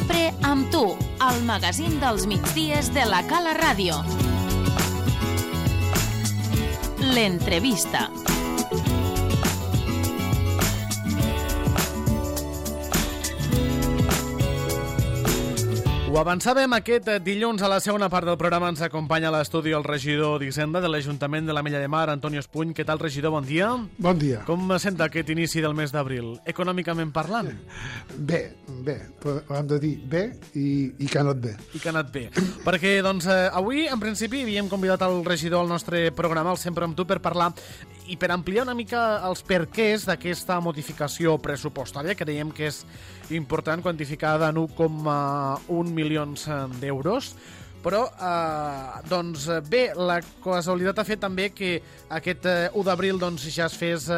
sempre amb tu, al magazín dels migdies de la Cala Ràdio. L'entrevista. Ho avançàvem aquest dilluns a la segona part del programa. Ens acompanya a l'estudi el regidor d'Hisenda de l'Ajuntament de l'Ametlla de Mar, Antonio Espuny. Què tal, regidor? Bon dia. Bon dia. Com sent aquest inici del mes d'abril, econòmicament parlant? Bé, hem de dir bé i que ha anat bé. I que ha anat bé. Perquè, doncs, avui, en principi, havíem convidat el regidor al nostre programa, el Sempre amb tu, per parlar i per ampliar una mica els perquès d'aquesta modificació pressupostària, que creiem que és important, quantificada en 1,1 milions d'euros. Però, doncs, bé, la casualitat ha fet també que aquest 1 d'abril doncs, ja es fes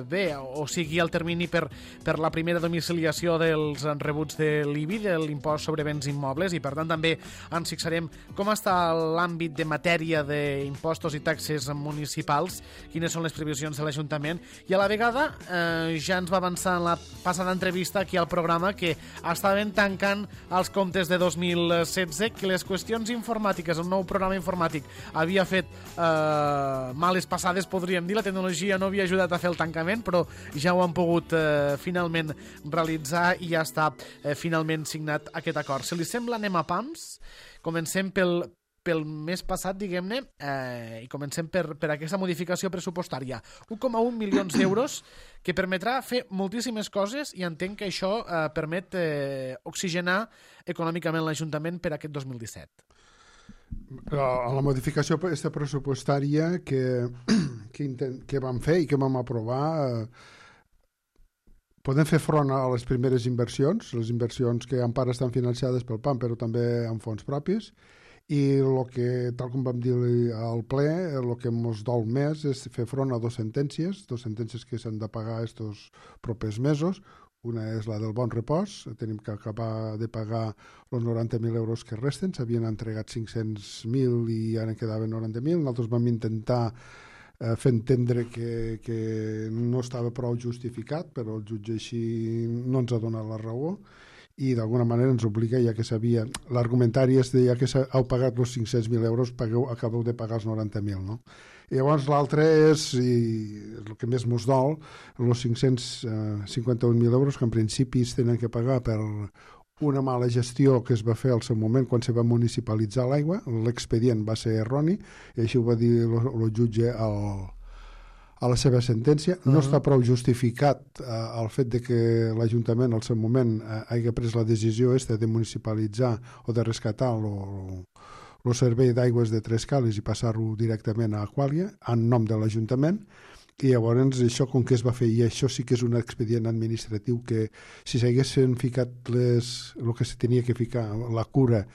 bé, o sigui, el termini per la primera domiciliació dels rebuts de l'IBI, de l'impost sobre béns immobles, i per tant també ens fixarem com està l'àmbit de matèria d'impostos i taxes municipals, quines són les previsions de l'Ajuntament, i a la vegada ja ens va avançar en la passada entrevista aquí al programa que estaven tancant els comptes de 2016, que les qüestions informàtiques, un nou programa informàtic havia fet males passades, podríem dir. La tecnologia no havia ajudat a fer el tancament, però ja ho han pogut finalment realitzar i ja està finalment signat aquest acord. Si li sembla, anem a pams. Comencem pel mes passat, diguem-ne, i comencem per aquesta modificació pressupostària. 1,1 milions d'euros que permetrà fer moltíssimes coses, i entenc que això permet oxigenar econòmicament l'Ajuntament per aquest 2017. La modificació pressupostària que vam fer i que vam aprovar podem fer front a les primeres inversions, les inversions que en part estan financiades pel PAM, però també amb fons propis, i tal com vam dir al ple, el que ens dol més és fer front a dues sentències que s'han de pagar estos propers mesos. Una és la del Bon Repòs, tenim que acabar de pagar els 90.000 euros que resten, s'havien entregat 500.000 i ara en quedaven 90.000. Nosaltres vam intentar fer entendre que no estava prou justificat, però el jutge així no ens ha donat la raó, i d'alguna manera ens obliga, ja que sabia, l'argumentari és de ja que heu pagat els 500.000 euros, acabeu de pagar els 90.000, no? I llavors l'altre és, i el que més mos dol, els 551.000 euros que en principi es tenen que pagar per una mala gestió que es va fer al seu moment quan se va municipalitzar l'aigua. L'expedient va ser erroni, i així ho va dir el jutge a la seva sentència. No està prou justificat el fet de que l'Ajuntament al seu moment hagi pres la decisió de municipalitzar o de rescatar el servei d'aigües de Trescales i passar-lo directament a Aquàlia en nom de l'Ajuntament. I llavors això com que es va fer, i això sí que és un expedient administratiu que si s'haguessin ficat el que se tenia que ficar, la cura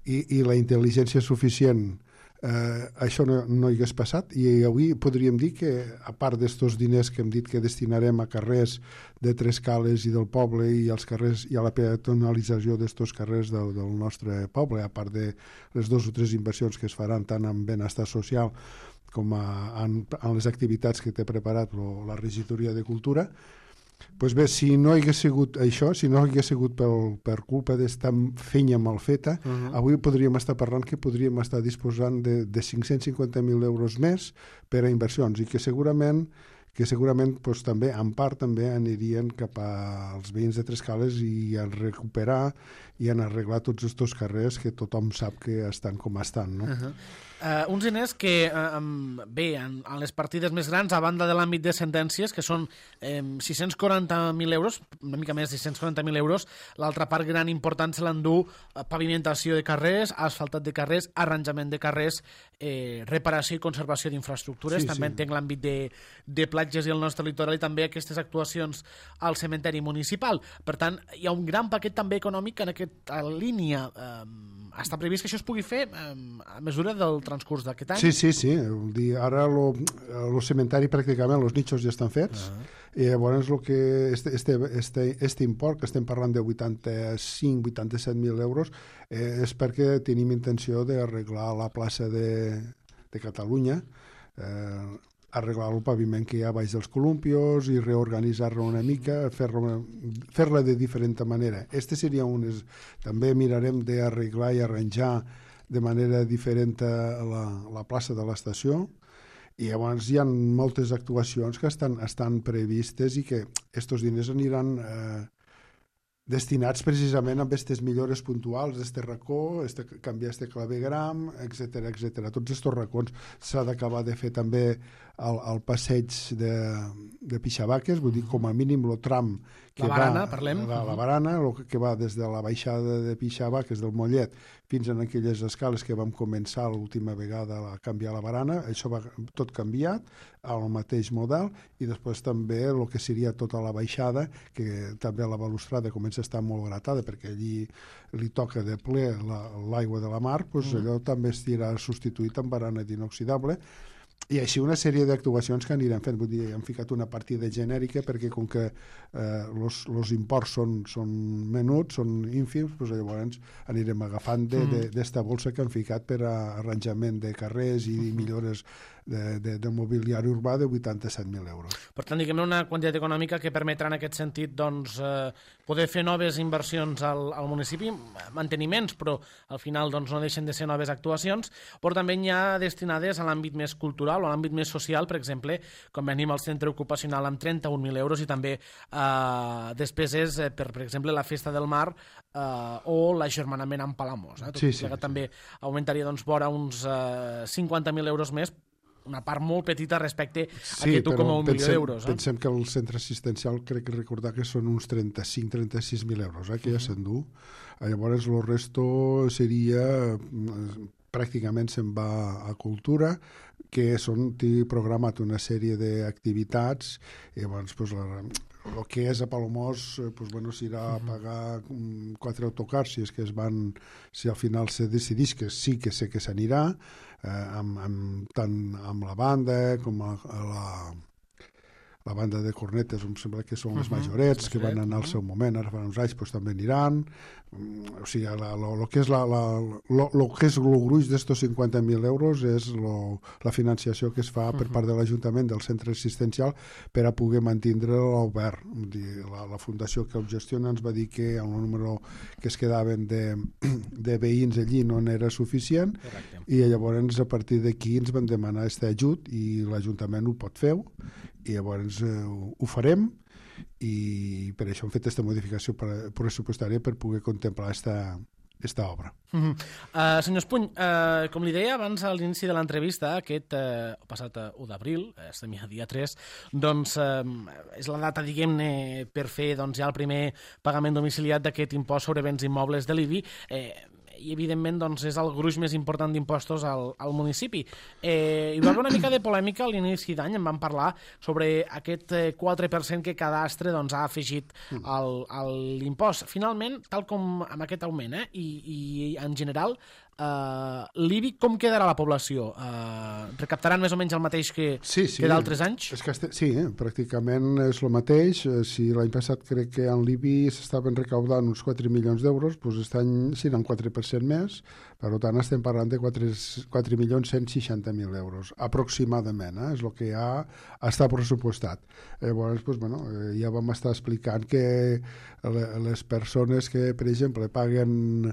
i la intel·ligència suficient, això no hi hagués passat. I avui podríem dir que, a part d'estos diners que hem dit que destinarem a carrers de Trescales i del poble i als carrers i a la peatonalització d'estos carrers del nostre poble, a part de les 2 o 3 inversions que es faran tant en benestar social com en les activitats que té preparat la regidoria de Cultura, doncs bé, si no hagués sigut això, si no hagués sigut per culpa d'esta feina mal feta, avui podríem estar parlant que podríem estar disposant de 550.000 euros més per a inversions, i que segurament doncs, també, en part, també anirien cap als veïns de Trescales i a recuperar i a arreglar tots aquests carrers que tothom sap que estan com estan, no? Uns diners que, bé, en les partides més grans, a banda de l'àmbit de sentències, que són 640.000 euros, una mica més de 640.000 euros, l'altra part gran important se l'endú pavimentació de carrers, asfaltat de carrers, arranjament de carrers, reparació i conservació d'infraestructures, també entenc l'àmbit de platges i el nostre litoral, i també aquestes actuacions al cementeri municipal. Per tant, hi ha un gran paquet també econòmic en aquesta línia. Està previst que això es pugui fer a mesura del transcurs d'aquest any? Sí. Ara el cementeri pràcticament, els nichos ja estan fets, i llavors este import, que estem parlant de 85-87.000 euros, és perquè tenim intenció d'arreglar la plaça de Catalunya, arreglar el paviment que hi ha baix dels columpios i reorganitzar-lo una mica, fer-la de diferent manera. Seria també mirarem d'arreglar i arranjar de manera diferent la plaça de l'estació, i llavors hi ha moltes actuacions que estan previstes i que aquests diners aniran destinats precisament a aquestes millores puntuals d'este racó, canviar este clavegram, etc. Tots aquests racons s'ha d'acabar de fer també el passeig de Pixabaques, vull dir, com a mínim el tram que barana, va, parlem. La barana, que va des de la baixada de Pixabaques del Mollet fins en aquelles escales que vam començar l'última vegada a canviar la barana, això va tot canviat al mateix model, i després també el que seria tota la baixada, que també la balustrada comença a estar molt gratada perquè allí li toca de ple l'aigua de la mar, doncs allò també estirà substituït amb barana d'inoxidable. I així una sèrie d'actuacions que anirem fent. Vull dir, hem ficat una partida genèrica perquè com que els imports són menuts, són ínfims, doncs llavors anirem agafant d'esta bolsa que han ficat per a arranjament de carrers i millores de mobiliari urbà de 87.000 euros. Per tant, diguem-ne una quantitat econòmica que permetrà en aquest sentit doncs, poder fer noves inversions al municipi, manteniments, però al final doncs, no deixen de ser noves actuacions, però també hi ha destinades a l'àmbit més cultural o a l'àmbit més social, per exemple, com venim al centre ocupacional amb 31.000 euros i també despeses per exemple, la Festa del Mar o l'agermanament amb Palamós. Tot plegat també augmentaria doncs, vora uns 50.000 euros més, una part molt petita respecte a aquest 1,1 milió d'euros. Pensem que el centre assistencial crec que recordar que són uns 35.000 euros, que ja s'endú. Llavors el resto seria pràcticament se'n va a cultura, que té programat una sèrie d'activitats, i llavors el que és a Palamós s'irà a pagar 4 autocars si al final se decidís, que sí que sé que s'anirà, tant amb la banda com la banda de cornetes, em sembla que són les majorets, que van anar al seu moment, ara fa uns anys també aniran. O sigui, el que és el gruix d'estos 50.000 euros és la financiació que es fa per part de l'Ajuntament del centre assistencial per a poder mantindre'l obert. La fundació que el gestiona ens va dir que el número que es quedaven de veïns allí no n'era suficient. Correcte. I llavors a partir d'aquí ens van demanar aquest ajut i l'Ajuntament ho pot fer, i llavors ho farem, i per això hem fet aquesta modificació pressupostària per poder contemplar aquesta obra. Senyor Espuny, com li deia abans a l'inici de l'entrevista, aquest passat 1 d'abril, estem ja dia 3, doncs és la data, diguem-ne, per fer ja el primer pagament domiciliat d'aquest impost sobre béns immobles de l'IBI, i evidentment doncs, és el gruix més important d'impostos al municipi. Hi va haver una mica de polèmica a l'inici d'any, en vam parlar sobre aquest 4% que Cadastre doncs, ha afegit a l'impost. Finalment, tal com amb aquest augment, i en general, l'IBI com quedarà la població? Recaptaran més o menys el mateix que d'altres anys? Sí, pràcticament és el mateix. Si l'any passat crec que en l'IBI s'estaven recaudant uns 4 milions d'euros, doncs aquest any seran 4% més, per tant estem parlant de 4.160.000 euros, aproximadament, és el que ja està pressupostat. Llavors, ja vam estar explicant que les persones que, per exemple, paguen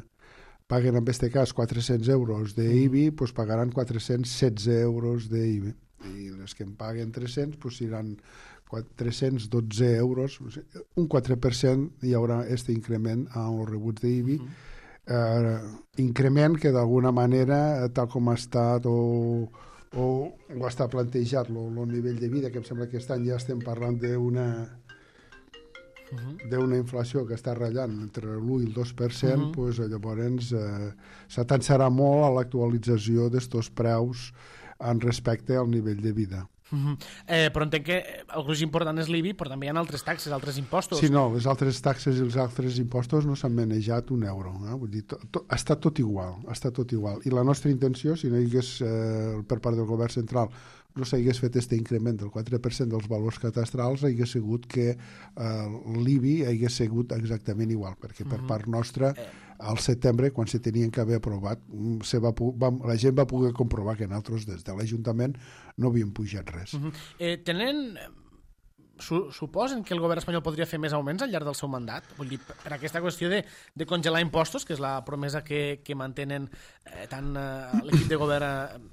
en aquest cas 400 euros d'IBI, doncs pagaran 416 euros d'IBI. I les que en paguen 300, doncs seran 312 euros. Un 4% hi haurà aquest increment en els rebuts d'IBI. Increment que d'alguna manera, tal com ha estat o està plantejat el nivell de vida, que em sembla que aquest any ja estem parlant d'una inflació que està ratllant entre l'1 i el 2%, doncs llavors s'atansarà molt a l'actualització d'estos preus en respecte al nivell de vida. Però entenc que el gruix important és l'IBI, però també hi ha altres taxes, altres impostos. Sí, no, les altres taxes i els altres impostos no s'han manejat un euro. Vull dir, està tot igual. I la nostra intenció, si no hi hagués per part del govern central no s'hagués fet aquest increment del 4% dels valors catastrals, hagués sigut que l'IBI hagués sigut exactament igual, perquè per part nostra al setembre, quan se tenien que haver aprovat, la gent va poder comprovar que nosaltres des de l'Ajuntament no havíem pujat res. Suposen que el govern espanyol podria fer més augments al llarg del seu mandat? Vull dir, per aquesta qüestió de congelar impostos, que és la promesa que mantenen tant l'equip de govern,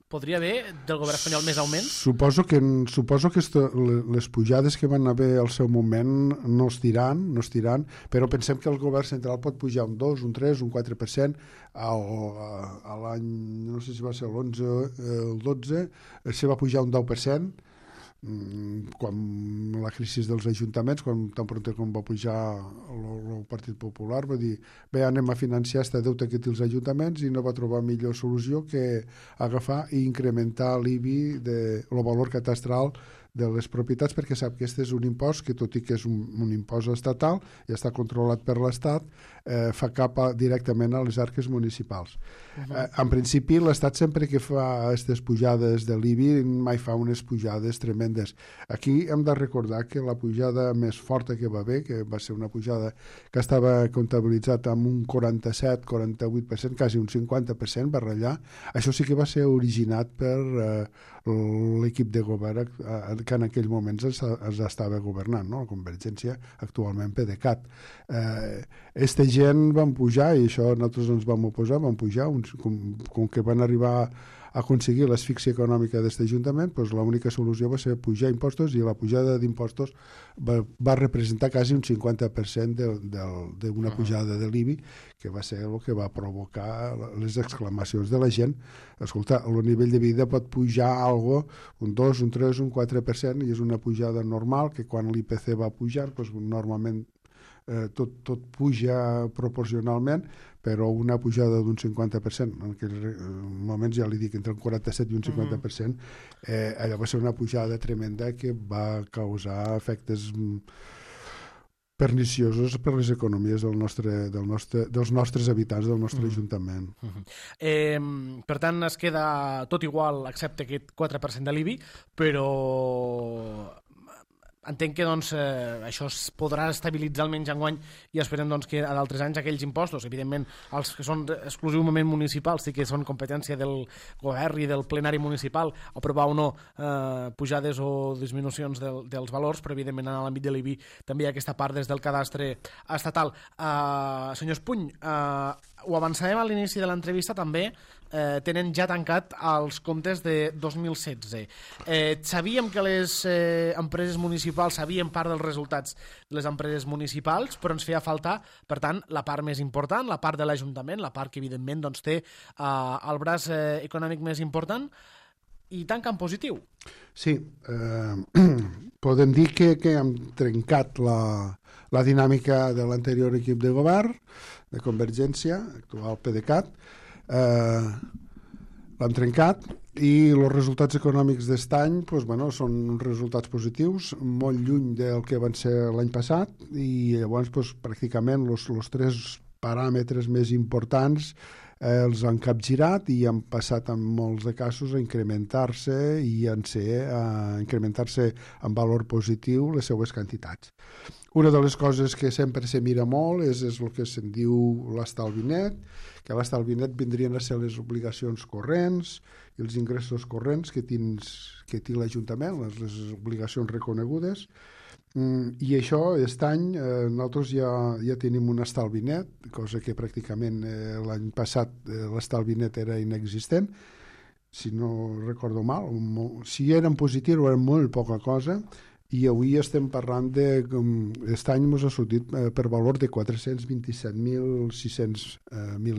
podria haver del govern espanyol més augments? Suposo que les pujades que van haver al seu moment no es tiran, però pensem que el govern central pot pujar un 2, un 3, un 4%. A l'any, no sé si va ser l'11, el 12, se va pujar un 10%, quan la crisi dels ajuntaments, tan pront com va pujar el Partit Popular, va dir, bé, anem a financiar este deute que té els ajuntaments, i no va trobar millor solució que agafar i incrementar l'IBI, el valor catastral de les propietats, perquè sap que aquest és un impost que, tot i que és un impost estatal i està controlat per l'Estat, fa cap directament a les arques municipals. En principi, l'Estat sempre que fa aquestes pujades de l'IBI mai fa unes pujades tremendes. Aquí hem de recordar que la pujada més forta que va haver, que va ser una pujada que estava comptabilitzat amb un 47-48%, quasi un 50% va ratllar, això sí que va ser originat per l'equip de govern que en aquell moments es estava governant, no? La Convergència, actualment PDeCAT. Aquesta gent van pujar, i això nosaltres ens vam oposar, van pujar, com que van arribar a aconseguir l'asfíxia econòmica d'aquest Ajuntament, doncs l'única solució va ser pujar impostos, i la pujada d'impostos va representar quasi un 50% d'una pujada de l'IBI, que va ser el que va provocar les exclamacions de la gent. Escolta, el nivell de vida pot pujar un 2, un 3, un 4%, i és una pujada normal, que quan l'IPC va pujar, doncs normalment tot puja proporcionalment, però una pujada d'un 50%, en aquells moments ja li dic entre un 47 i un 50%, allò va ser una pujada tremenda que va causar efectes perniciosos per les economies dels nostres habitants, del nostre Ajuntament. Per tant, es queda tot igual, excepte aquest 4% de l'IBI, però entenc que això es podrà estabilitzar almenys enguany, i esperem que a d'altres anys aquells impostos, evidentment els que són exclusivament municipals, sí que són competència del govern i del plenari municipal aprovar o no pujades o disminucions dels valors, però evidentment en l'àmbit de l'IBI també hi ha aquesta part des del cadastre estatal. Senyor Espuny, ho avançàvem a l'inici de l'entrevista, també tenen ja tancat els comptes de 2016. Sabíem que les empreses municipals sabien part dels resultats de les empreses municipals, però ens feia falta, per tant, la part més important, la part de l'Ajuntament, la part que evidentment té el braç econòmic més important, i tanca en positiu. Sí, podem dir que hem trencat la dinàmica de l'anterior equip de govern, de Convergència, actual PDeCAT. L'hem trencat, i els resultats econòmics d'aquest any són resultats positius, molt lluny del que van ser l'any passat, i llavors pràcticament els tres paràmetres més importants els han capgirat i han passat en molts de casos a incrementar-se en valor positiu les seues quantitats. Una de les coses que sempre se mira molt és el que se'n diu l'estalvi net, que l'estalvi net vindrien a ser les obligacions corrents i els ingressos corrents que té l'Ajuntament, les obligacions reconegudes. I això, aquest any, nosaltres ja tenim un estalvi net, cosa que pràcticament l'any passat l'estalvi net era inexistent, si no recordo mal. Si era en positiu era molt poca cosa, i avui estem parlant aquest any ens ha sortit per valor de 427.600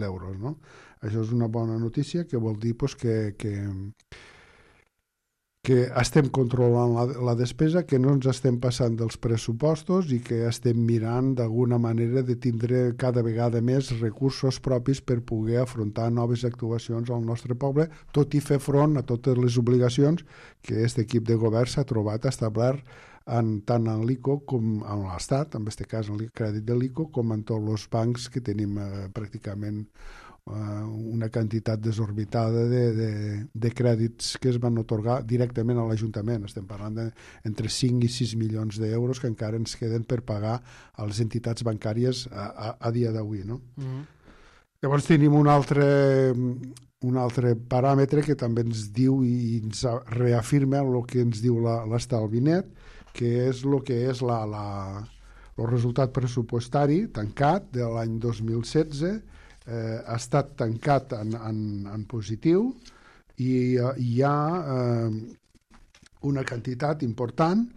euros, no? Això és una bona notícia, que vol dir que estem controlant la despesa, que no ens estem passant dels pressupostos i que estem mirant d'alguna manera de tindre cada vegada més recursos propis per poder afrontar noves actuacions al nostre poble, tot i fer front a totes les obligacions que aquest equip de govern s'ha trobat establert tant en l'ICO com en l'Estat, en aquest cas en el crèdit de l'ICO, com en tots els bancs que tenim pràcticament una quantitat desorbitada de crèdits que es van otorgar directament a l'Ajuntament. Estem parlant d'entre 5 i 6 milions d'euros que encara ens queden per pagar a les entitats bancàries a dia d'avui, no? Llavors tenim un altre paràmetre que també ens diu i ens reafirma el que ens diu l'estalvi net, que és el resultat pressupostari tancat de l'any 2016. Ha estat tancat en positiu i hi ha una quantitat important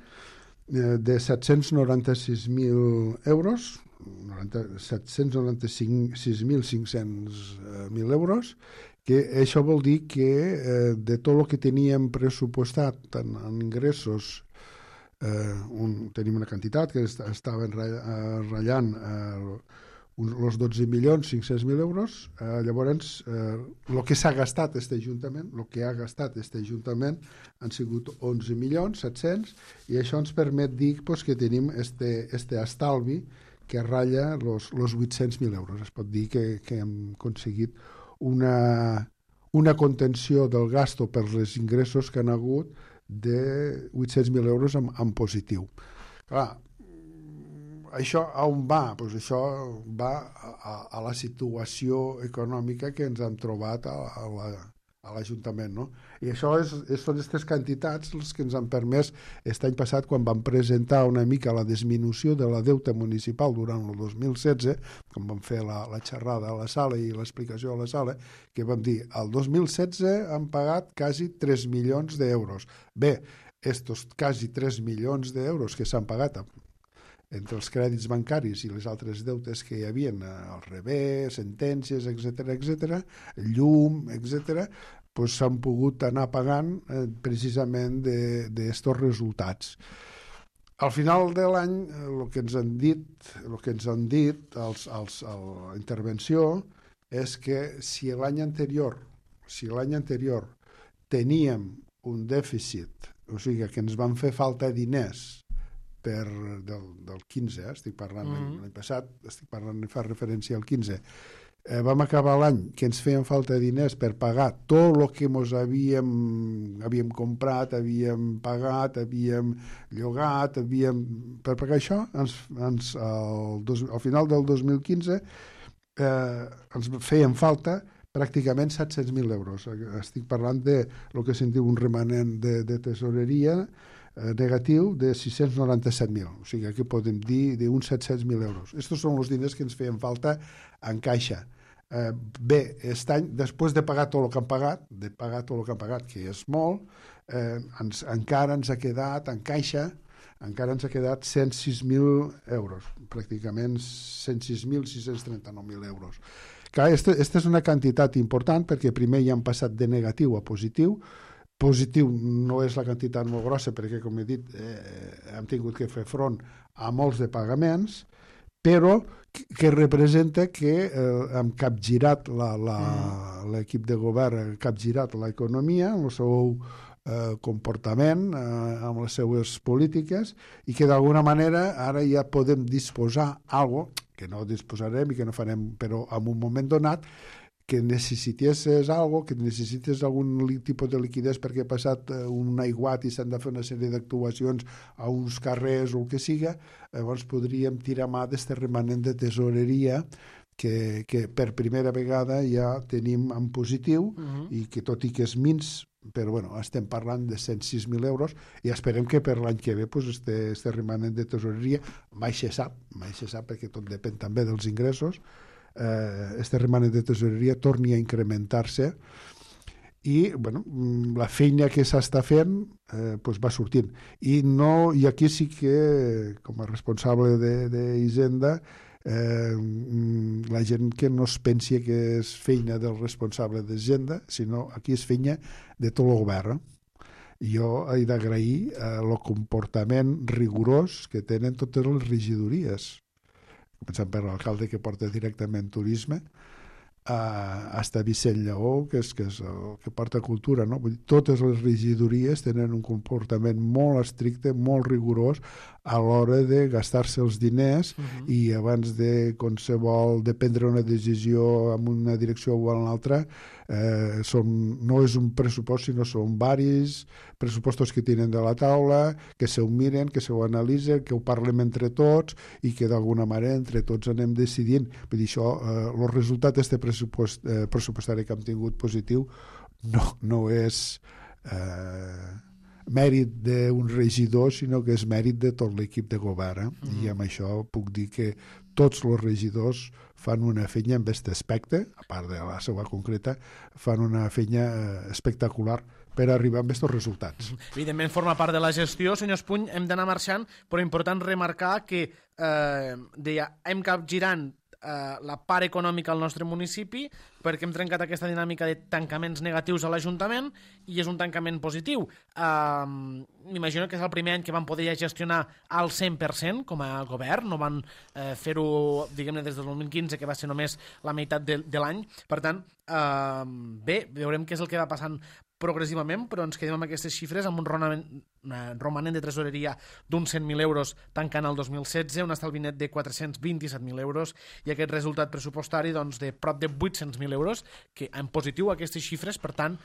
de 796.000 euros, 796.500 euros, que això vol dir que de tot el que teníem pressupostat en ingressos, tenim una quantitat que estava ratllant els 12.500.000 euros. Llavors, el que s'ha gastat aquest Ajuntament, han sigut 11.700.000, i això ens permet dir que tenim este estalvi que ratlla els 800.000 euros. Es pot dir que hem aconseguit una contenció del gasto per les ingressos que han hagut de 800.000 euros en positiu. Clar, això on va? Doncs això va a la situació econòmica que ens hem trobat a l'Ajuntament, no? I això són aquestes quantitats les que ens han permès aquest any passat, quan vam presentar una mica la disminució de la deute municipal durant el 2016, quan vam fer la xerrada a la sala i l'explicació a la sala, que vam dir, el 2016 han pagat quasi 3 milions d'euros. Bé, estos quasi 3 milions d'euros que s'han pagat entre els crèdits bancaris i les altres deutes que hi havia, al revés, sentències, etc., llum, etc., s'han pogut anar pagant precisament d'estos resultats. Al final de l'any, el que ens han dit a la intervenció és que si l'any anterior teníem un dèficit, o sigui que ens van fer falta diners del 15, estic parlant l'any passat, fa referència al 15, vam acabar l'any que ens feien falta diners per pagar tot el que ens havíem comprat, havíem pagat, havíem llogat, per pagar això, al final del 2015 ens feien falta pràcticament 700.000 euros. Estic parlant de el que se'n diu un remanent de tesoreria negatiu de 697.000. O sigui, aquí podem dir d'uns 700.000 euros. Estos són els diners que ens feien falta en caixa. Bé, aquest any, després de pagar tot el que han pagat, que és molt, encara ens ha quedat en caixa, encara ens ha quedat 106.000 euros, pràcticament 106.639.000 euros. Aquesta és una quantitat important perquè primer ja han passat de negatiu a positiu. Positiu no és la quantitat molt grossa perquè, com he dit, hem tingut que fer front a molts de pagaments, però que representa que hem capgirat l'equip de govern, ha capgirat l'economia amb el seu comportament, amb les seues polítiques, i que d'alguna manera ara ja podem disposar alguna cosa, que no disposarem i que no farem, però en un moment donat, que necessitessis alguna cosa, que necessites algun tipus de liquiditat perquè ha passat un aiguat i s'han de fer una sèrie d'actuacions a uns carrers o el que siga, llavors podríem tirar mà d'aquest remanent de tesoreria que per primera vegada ja tenim en positiu i que tot i que és mins, però bueno, estem parlant de 106.000 euros i esperem que per l'any que ve este remanent de tesoreria mai se sap perquè tot depèn també dels ingressos, este remanent de tesoreria torni a incrementar-se i bueno, la feina que s'està fent va sortint i aquí sí que com a responsable d'Hisenda la gent que no es pensi que és feina del responsable d'Hisenda, sinó aquí és feina de tot el govern. Jo he d'agrair el comportament rigorós que tenen totes les regidories, començant per l'alcalde que porta directament turisme, hasta Vicent Lleó, que és el que porta cultura, no? Vull dir, totes les regidories tenen un comportament molt estricte, molt rigorós a l'hora de gastar-se els diners i abans de qualsevol de prendre una decisió en una direcció o en l'altra no és un pressupost, sinó són varis pressupostos que tenen de la taula, que se ho miren, que se ho analitzen, que ho parlem entre tots i que d'alguna manera entre tots anem decidint. Vull dir, això, el resultat d'aquest pressupostari que hem tingut positiu no és mèrit d'un regidor, sinó que és mèrit de tot l'equip de govern. I amb això puc dir que tots els regidors fan una feina en aquest aspecte, a part de la seva concreta, fan una feina espectacular per arribar a aquests resultats. Evidentment forma part de la gestió, senyor Espuny, hem d'anar marxant, però important remarcar que hem capgirant la part econòmica al nostre municipi perquè hem trencat aquesta dinàmica de tancaments negatius a l'Ajuntament i és un tancament positiu. M'imagino que és el primer any que van poder ja gestionar al 100% com a govern, no van fer-ho, diguem-ne, des del 2015, que va ser només la meitat de l'any. Per tant, bé, veurem què és el que va passant progressivament, però ens quedem amb aquestes xifres, amb un romanent de tresoreria d'uns 100.000 euros tancant el 2016, un estalvi net de 427.000 euros i aquest resultat pressupostari doncs, de prop de 800.000 euros, que en positiu aquestes xifres, per tant,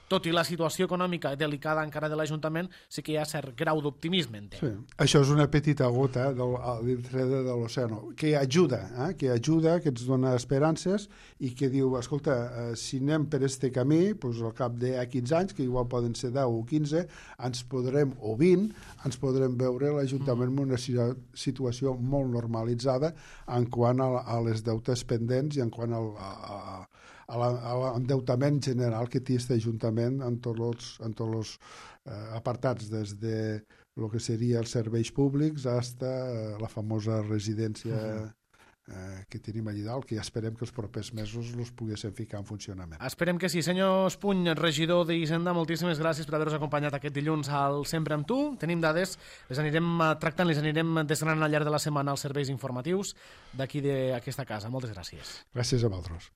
tot i la situació econòmica delicada encara de l'Ajuntament, sí que hi ha cert grau d'optimisme. Sí. Això és una petita gota dintre de l'oceano, que ajuda, que ens dona esperances i que diu, escolta, si anem per este camí, doncs al cap de 15 anys, que igual poden ser 10 o 15, o 20, ens podrem veure l'Ajuntament en una situació molt normalitzada en quant a les deutes pendents i en quant a l'endeutament general que té aquest Ajuntament en tots els apartats, des de el que seria els serveis públics fins a la famosa residència que tenim allà dalt, que ja esperem que els propers mesos els poguéssim ficar en funcionament. Esperem que sí. Senyor Espuny, regidor d'Hisenda, moltíssimes gràcies per haver-nos acompanyat aquest dilluns al Sempre amb tu. Tenim dades, les anirem tractant, les anirem desgranant al llarg de la setmana als serveis informatius d'aquí d'aquesta casa. Moltes gràcies. Gràcies a vosaltres.